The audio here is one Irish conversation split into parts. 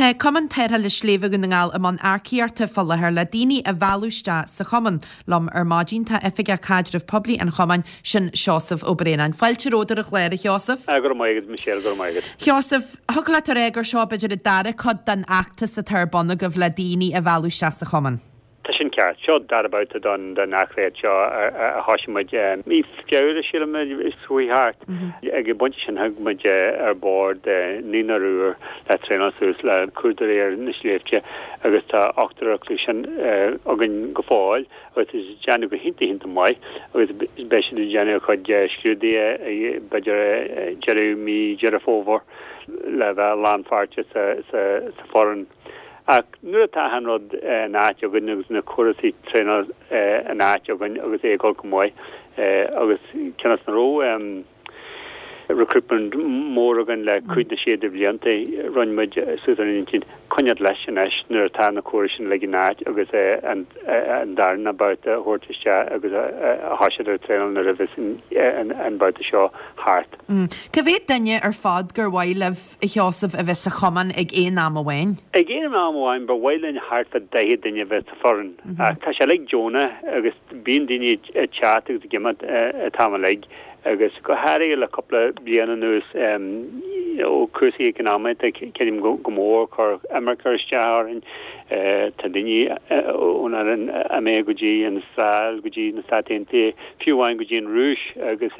Tá Cumann Tarrthála Sléibhe Dhún na nGall i mbun earcaíochta fá láthair le daoine a mhealladh isteach sa chumann. Liom ar maidin tá Oifigeach Caidrimh Poiblí an chumainn, sin Seosamh Ó Braonáin. Fáilte romhat ar an chlár, a Sheosaimh. Go raibh maith agat, Michelle, go raibh maith agat. Sheosaimh, thiocfadh leat a rá gur seo b'fhéidir an dara cuid den fheachtas atá ar bun agaibh le daoine a mhealladh isteach sa chumann. Tá sin ceart. Seo an dara babhta don earcaíocht seo a thosaigh muid mí Feabhra, sílim, is chuaigh thart. Ag an bpointe sin thug muid ar bord naonúr úr le traenáil suas le cuardairí ar na sléibhte agus tá ochtar acu sin againn go fóill agus tá siad ag déanamh go hiontach iontach maith agus beidh siad ag déanamh a gcuid scrúduithe b'fhéidir deireadh mí Deireadh Fómhair le bheith lánpháirteach sa foireann. Ach nuair atá achan rud in áit againn agus na córasaí traenála in áit againn agus é ag dul go maith agus cionn is nach raibh recruitment mór againn le cúig nó sé de bhlianta, rinne muid suas ár n-intinn coinneáil leis anois nuair atá na córais sin uilig in áit agus an darna babhta a thabhairt isteach agus a thoiseacht ar traenáil nuair a bheas an babhta seo thart. Cá mhéad duine ar fad gur mhaith libh a Sheosaimh, a bheith sa chumann ag aon am amháin? Ag aon am amháin, ba mhaith linn thart fá 40 duine a bheith sa foireann. Ach tá sé uilig deonach agus bíonn daoine ag teacht agus ag imeacht an t-am uilig agus go háirithe le cúpla bliain anuas ó cúrsaí eacnamaíochta creidim go mór chuir imirce isteach orainn. Tá daoine ón fhoireann imithe go dtí an Astráil, go dtí na Stáit Aontaithe, fiú amháin go dtí an Rúis agus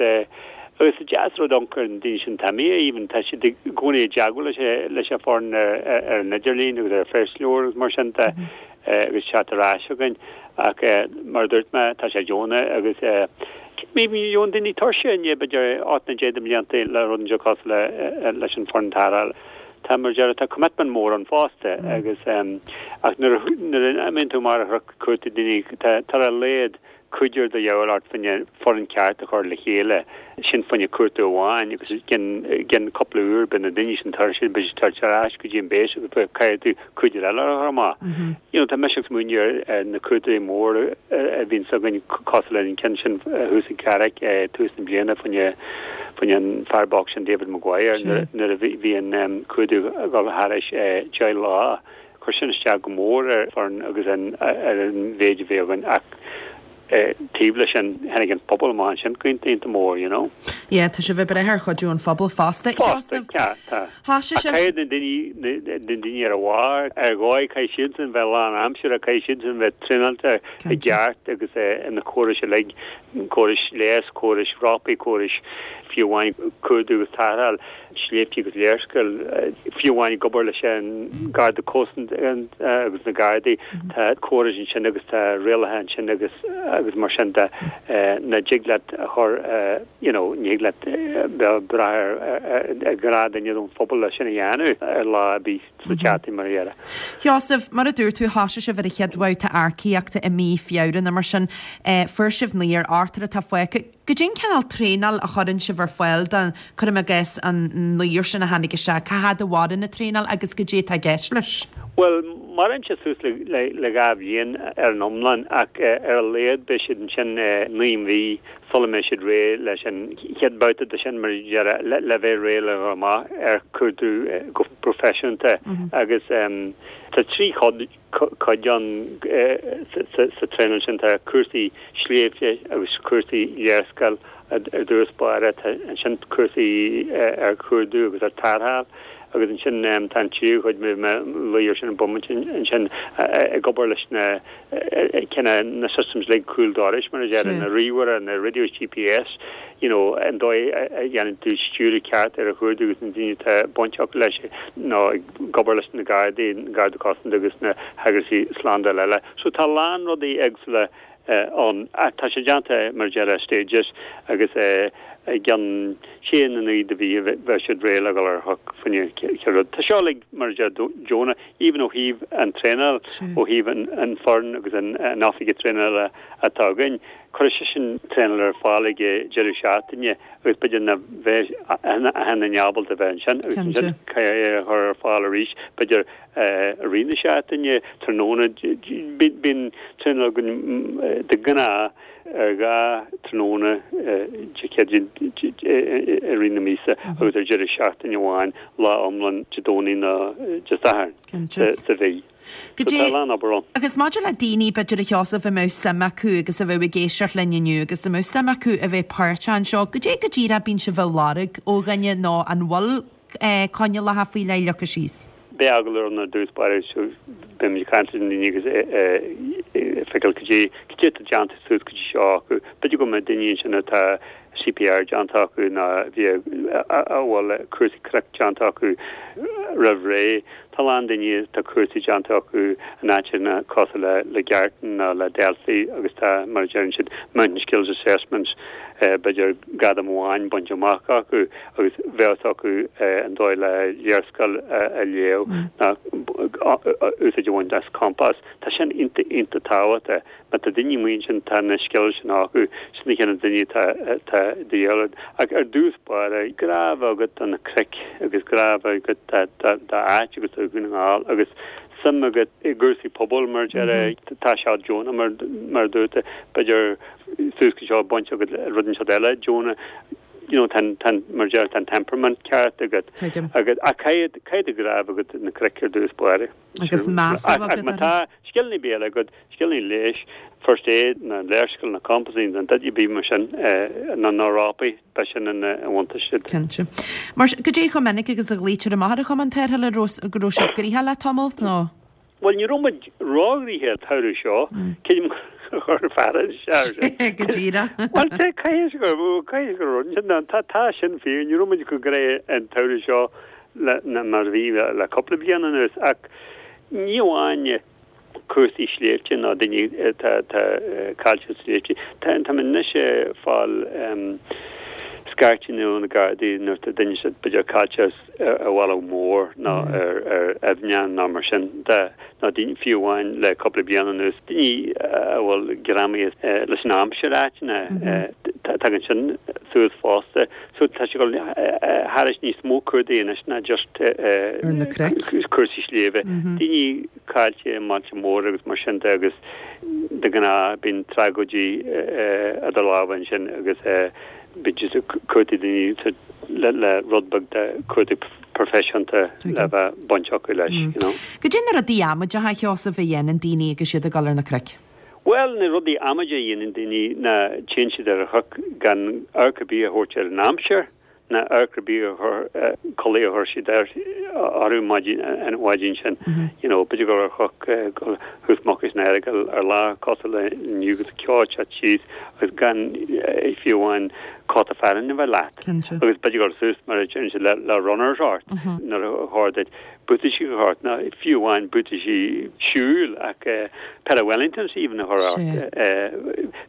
Agus is deas rud amharc ar na daoine sin atá imithe even, tá siad i gcónaí i dteagmháil leis leis an foireann ar an idirlíon agus ar phoistleabhair agus mar sin de agus teacht ar ais chugainn. Ach mar a dúirt mé, tá sé deonach agus bíonn daoine tuirseach i ndiaidh b'fhéidir 8 nó 10 de bhlianta le rud inteacht cosúil leis an foireann tarrthála. Tá mar a déarfá, tá commitment mór ann fosta agus ach nuair a imíonn tú amach ar chuartú daoine, tá ar a laghad cúigear de dhíobháil ort fá choinne foireann ceart a chur le chéile, sin fá choinne cuartú amháin agus i gcionn cúpla uair beidh na daoine sin tuirseach, beidh siad ag teacht ar ais go dtí an base agus beidh caithfidh tú cúigear eile a chur amach. You know tá mise ag smaoineamh ar na cuartóirí móra a bhíonns againn cosúil le an ceann sin thuas i gCarraig tús na bliana fá choinne fá choinne an fear bocht sin David Maguire nuair a bhí an cuardach ag dul thairis 10 lá. Chuir sin isteach go mór ar foireann agus ar an mhéid a bhí againn ach taobh leis sin tháinig an pobal amach ansin go iontach iontach mór, you know. Yeah, tá sibh ag brath ar chuidiú an phobail fosta. Fosta, ceart, tá. Thoisigh Ach sibh. caithfidh na daoine, na daoine ar a bharr, ar dhóigh, caithfidh siadsan bheith lán-aimseartha, caithfidh siadsan bheith traenáilte i gceart agus na córais uilig, córais leighis, córais rópaí, córais fiú amháin cuardú agus tarrtháil. sléibhte agus léarscáil, fiú amháin ag obair leis an Garda Cósta agus na Gardaí, tá córais ansin agus tá rialacha ansin agus agus mar sin de nach dtig leat a chur you know ní thig leat bheith ag brath ar ar ghnáthdhuine ón phobal le sin a dhéanamh ar lá ar bith sa tseachtain mar a déarfá. Sheosaimh, mar a dúirt tú, thoisigh sibh ar an chéad bhabhta earcaíochta i mí Feabhra nó mar sin. Fuair sibh naonúr, ochtar atá fágtha. Goidé an cineál traenáil a chuireann sibh ar fáil do, cuirim i gcás, an naonúr sin a tháinig isteach? Cá fhad a mhaireann an traenáil agus goidé atá i gceist leis? Bhuel, maireann sé suas le 2 bhliain ar an iomlán ach ar a laghad beidh siad ansin 9 mhí sula mbeidh siad réidh leis an chéad bhabhta de sin, mar a déarfá, le bheith réidh le dhul amach ar chuardú go proifisiúnta agus tá 3 chuid cuid ann sa traenáil sin. Tá cúrsaí sléibhte agus cúrsaí léarscáil ar dtús báire, tá ansin cúrsaí ar chuardú agus ar tarrtháil agus ansin tá an tríú chuid, bhí mé ag luí ar sin an bomaite ansin, ag obair leis na cineál na systems uilig cúl dorais mar a déarfá, na ríomhaire, na radios GPS, you know, an dóigh a dhéanann tú stiúradh ceart ar an chuardú agus na daoine atá bainteach leis nó ag obair leis na Gardaí, an Garda Cosanta agus na heagraíochtaí slándála eile. So tá a lán rudaí éagsúla ann. Ach tá sé déanta mar a déarfá stages agus i gceann sé nó 9 de mhí bheadh siad réidh le dhul ar chnoc fá choinne chéad rud. Tá seo uilig mar a déarfá deonach, even ó thaobh an traenáil, ó thaobh an foireann agus an oifigigh traenála atá againn. Cuirfidh seisean traenáil ar fáil ag deireadh seachtaine. agus b'fhéidir nach mbeidh achan duine ábalta a bheith ansin agus ansin caithfidh é a chur ar fáil arís b'fhéidir i rith na seachtaine, tráthnóna, bíonn traenáil againn de ghnáth ar 2 tráthnóna Dé Céadaoin. I rith na míosa agus ar deireadh seachtaine amháin, lá iomlán Dé Domhnaigh nó Dé Sathairn sa mhí. So tá a lán obair ann. Agus maidir le daoine, b'fhéidir, a Sheosaimh, a mbeadh suim acu agus a bheadh ag éisteacht linn inniu agus a mbeadh suim acu a bheith páirteach anseo, goidé go díreach a bíonn sibh a lorg ó dhuine nó an bhfuil coinníollacha faoi leith leagtha síos? Beidh agallamh ann ar dtús báire so beimid ag caint leis na daoine agus ag feiceáil cad é cad é atá déanta suas go dtí seo acu. B'fhéidir go mbeidh daoine ansin atá CPR déanta acu nó a bhí a bhfuil cúrsaí cnoic déanta acu roimh ré. Tá a lán daoine atá cúrsaí déanta acu in áiteanna cosúil le le Gartan nó le Delphi agus tá mar a deireann siad Mountain Skills Assessments b'fhéidir gradam amháin bainte amach acu. agus bheadh fhios acu an dóigh le léarscáil a léamh ná úsáid a bhaint as compás. Tá sin iontach, iontach tábhachtach. Má tá daoine amuigh ansin, tá na scileanna sin acu, sin na cineál daoine atá, atá de dhíobháil ort. Ach ar dtús báire, grá a bheith agat do na cnoic agus grá a bheith agat do d'áit agus do Dhún na nGall agus suim agat i gcúrsaí pobail mar a déarfá. Tá sé deonach mar, mar a dúirt tú, b'fhéidir suas go seo baint agat le rud inteacht eile deonach. you know, tá an, tá an, mar a déarfá, tá an temperament ceart agat. Tuigim. Agus, ach caithfidh, caithfidh do ghrá a bheith agat do na cnoic ar dtús báire. Agus meas a bheith agat Ach má tá scileanna béil agat, scileanna leighis, first aid, na léarscáil, na compasaí, na rudaí ar bith mar sin, na, na rópaí, beidh sin ina bhuntáiste duit. Cinnte. Mar sin, goidé chomh minic agus a ghlaoitear amach ar an Chumann Tarrthála, an raibh sibh gnoitheach le tamalt, nó? Bhuel, ní raibh muid róghnoitheach an tsamhradh seo, creidim gur chuir fear an sear sin. Go díreach. Bhuel, caithfidh gur, caithfidh gur rud sin, tá, tá sin fíor, ní raibh muid chomh gnoitheach an tsamhradh seo le, mar a bhí le cúpla bliain anuas, ach ní amháin cúrsaí sléibhte nó daoine atá, atá caillte sna sléibhte, tá, tá muid anois ag fáil scairteanna ó na Gardaí nuair atá duine b'fhéidir caillte ar bhealach mór nó ar aibhneacha nó mar sin de, nó daoine, fiú amháin le cúpla bliain anuas, daoine a bhfuil greamaithe leis an aimsir áiteanna, tagann sin suas fosta. So tá sé ag dul thairis níos mó cuardaigh anois ná just cúrsaí sléibhe. Daoine caillte i mbailte móra agus mar sin de agus de ghnáth bíonn tragóidí idir lámha ansin agus bíonn siad ag cuartú daoine le rud beag de chuardach proifisiúnta le bheith baint acu leis, you know. Goidé na rudaí amaideacha, a Sheosaimh, a dhéanann daoine agus iad ag dul ar na cnoic? Bhuel, na rudaí amaideacha a dhéanann daoine ná téann siad ar an chnoc gan amharc ar bith a thabhairt ar an aimsir. ná amharc ar bith a chur, culaith a chuir siad orthu maidin, an mhaidin sin, you know, b'fhéidir gur ar chnoc thuas Mucais an Earagail ar lá cosúil le inniu agus ceo ag teacht síos agus gan fiú amháin cóta fearainn a bheith leat. Agus b'fhéidir gur suas mar a deireann siad le, le runners ort nuair a chóir duit buataisí a chur ort, nó fiú amháin buataisí siúil ach pair of Wellingtons even a chur ort.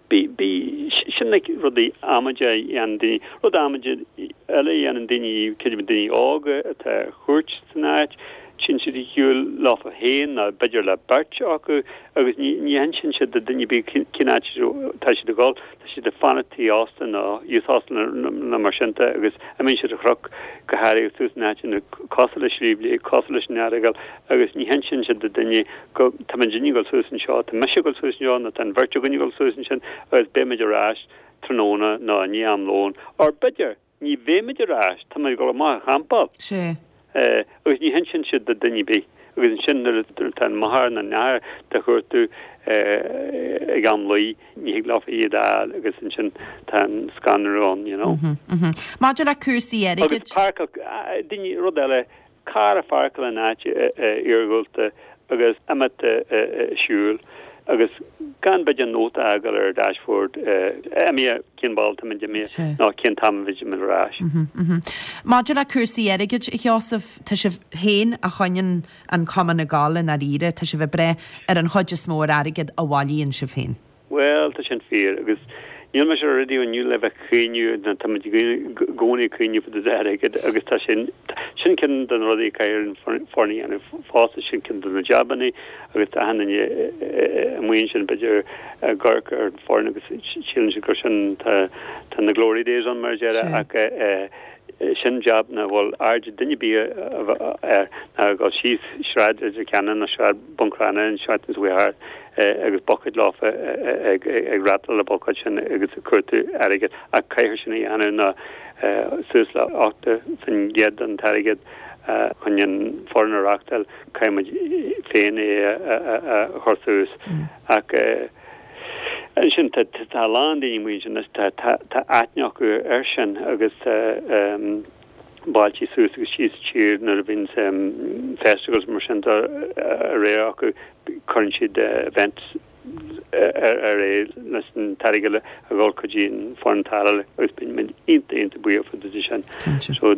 Bí, bí, sin na rudaí amaideacha a dhéanann daoine. Rud amaideach eile a dhéanann daoine, creidim daoine óga atá ar chuairt san áit, téann siad ar shiúl leofa féin nó b'fhéidir le beirt acu agus ní ní hinsíonn siad do dhuine ar bith cén áit atá siad ag dul, tá siad ag fanacht tigh ósta nó youth hostel nó mar sin de agus imíonn siad ar chnoc go háirithe suas in áiteanna cosúil le Sliabh Liag, cosúil leis an Earagail agus ní hinsíonn siad do dhuine go tá muidinne ag dul suas anseo, tá mise ag dul suas anseo nó tá an bheirt againn ag dul suas ansin agus beidh muid ar ais tráthnóna nó i ndiaidh am lóin, or b'fhéidir, ní bheimid ar ais, tá muid ag dul amach a champáil. Sea. Agus ní hinsíonn siad do dhuine ar bith. Agus ansin nuair atá an máthair nó an athair do chuartú ag am luí, ní thig leofa iad a fháil agus ansin tá an scanrú ann, you know. Maidir le cúrsaí airgid. Agus páirceáil, daoine, rud eile, Carr a pháirceáil in áit iargúlta agus imeacht ag siúl agus gan b'fhéidir nóta a fhágáil ar an dashboard imithe cén bealach tá muid imithe nó cén t-am a bheidh muid ar ais. Maidir le cúrsaí airgid, a Sheosaimh, tá sibh féin a choinníonn an cumann ag gabháil i ndáiríre, tá sibh ag breith ar an chuid is mó ar airgead a bhailíonn sibh féin. Bhuel, tá sin fíor, agus níl mise ar raidió inniu le bheith ag caoineadh, nó tá muid i gcónaí ag caoineadh fá dtaobh d'airgead, agus tá sin, sin ceann de na rudaí a caithfidh an foireann a dhéanamh fosta, sin ceann de na jabannaí, agus tá achan duine amuigh ansin, b'fhéidir, ag amharc ar an foireann agus síleann siad gur sin, tá, tá na glory days ann mar a déarfá, ach eh. Sin jab nach bhfuil aird duine ar bith air ná ag dul síos Sráid Leitir Ceanainn nó Sráid Buncrana an tseachtain seo thart agus buicéid leofa ag rattláil na buicéid sin agus ag cuartú airgid ach caithfear sin a dhéanamh nó suas le 80% den t-airgead chun an foireann a reachtáil caithfidh muid féin é a chur suas ach ansin tá a lán daoine amuigh ansin anois tá aithne acu air sin agus bailte suas agus síos sa tír nuair a bhíonn festivals mar sin de réir acu cuireann siad events ar ar aghaidh leis an t-airgead a dhul go dtí an foireann tarrthála agus bíonn muid iontach iontach buíoch de sin. So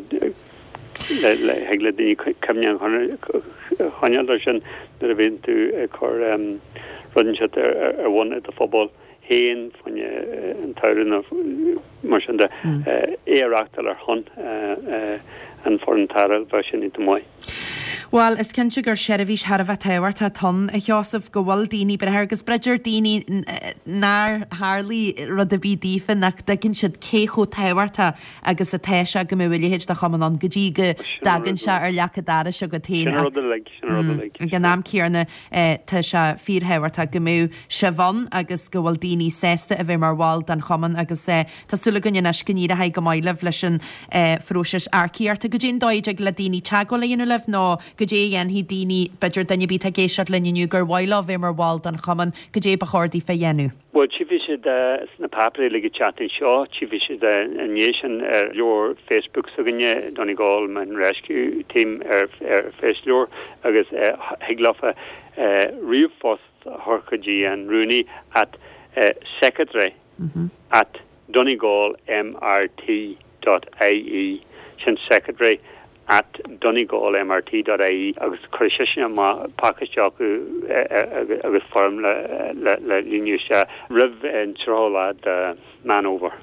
le thig le daoine cuimhne a choinneáil air sin nuair a bhíonn tú ag cur rud inteacht ar bun i do phobal féin fá choinne an tsamhradh nó mar sin de, é a reachtáil ar shon an foireann tarrthála, bheadh sin iontach maith. Bhuel, is cinnte gur seirbhís thar a bheith tábhachtach atá ann, a Sheosaimh, go bhfuil daoine breithe agus b'fhéidir daoine nár tharlaigh rud ar bith daofa nach dtuigeann siad cé chomh tábhachtach agus atá sé go mbeadh a leithéid de chumann ann go dtí go dtagann sé ar leac an dorais agat féin. Sin an rud uilig. Sin an rud uilig. Ag an am céanna tá sé fíorthábhachtach go mbeadh sibh ann agus go bhfuil daoine sásta a bheith mar bhall den chumann agus tá súil againn anois go n-éireoidh go maith libh leis an phróiseas earcaíochta. Goidé an dóigh a dtig le daoine teagmháil a dhéanamh libh nó goidé a dhéanfaidh daoine, b'fhéidir duine ar bith atá ag éisteacht linn inniu gur mhaith leo bheith mar bhall den chumann, goidé ba chóir daofa a dhéanamh? Bhuel, tchífidh siad sna páipéirí uilig an tseachtain seo, tchífidh siad i ndiaidh sin ar leabhar Facebook s'againne, Donegal Mountain Rescue Team ar Face-leabhar, agus thig leofa ríomhphost a chur go dtí an rúnaí at secretary at donegalmrt dot ie, sin secretary at donegalmrt dot ie agus cuirfidh seisean amach pacáiste acu agus foirm le líonadh isteach roimh an 30 lá de Meán Fhómhair.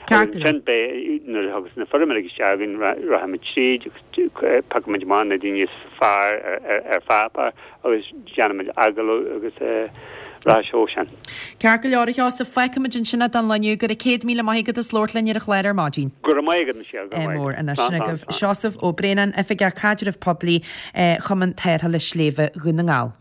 Ceart go leor. Ansin beidh, nuair a thagas na foirm uilig isteach againn, rachaimid tríd agus piocfaimid amach na daoine is fearr ar pháipéar agus déanfaimid agallamh agus rachaidh sé ó sin. Ceart go leor, a Sheosaimh, fágfaimid ansin é don lá inniu. Go raibh 100,000 maith agat as labhairt linn ar an chlár ar maidin. Go raibh maith agat, Michelle, go raibh maith agat. Mór anois sin agaibh Seosamh Ó Braonáin, Oifigeach Caidrimh Poiblí, Chumann Tarrthála Sléibhe Dhún na nGall.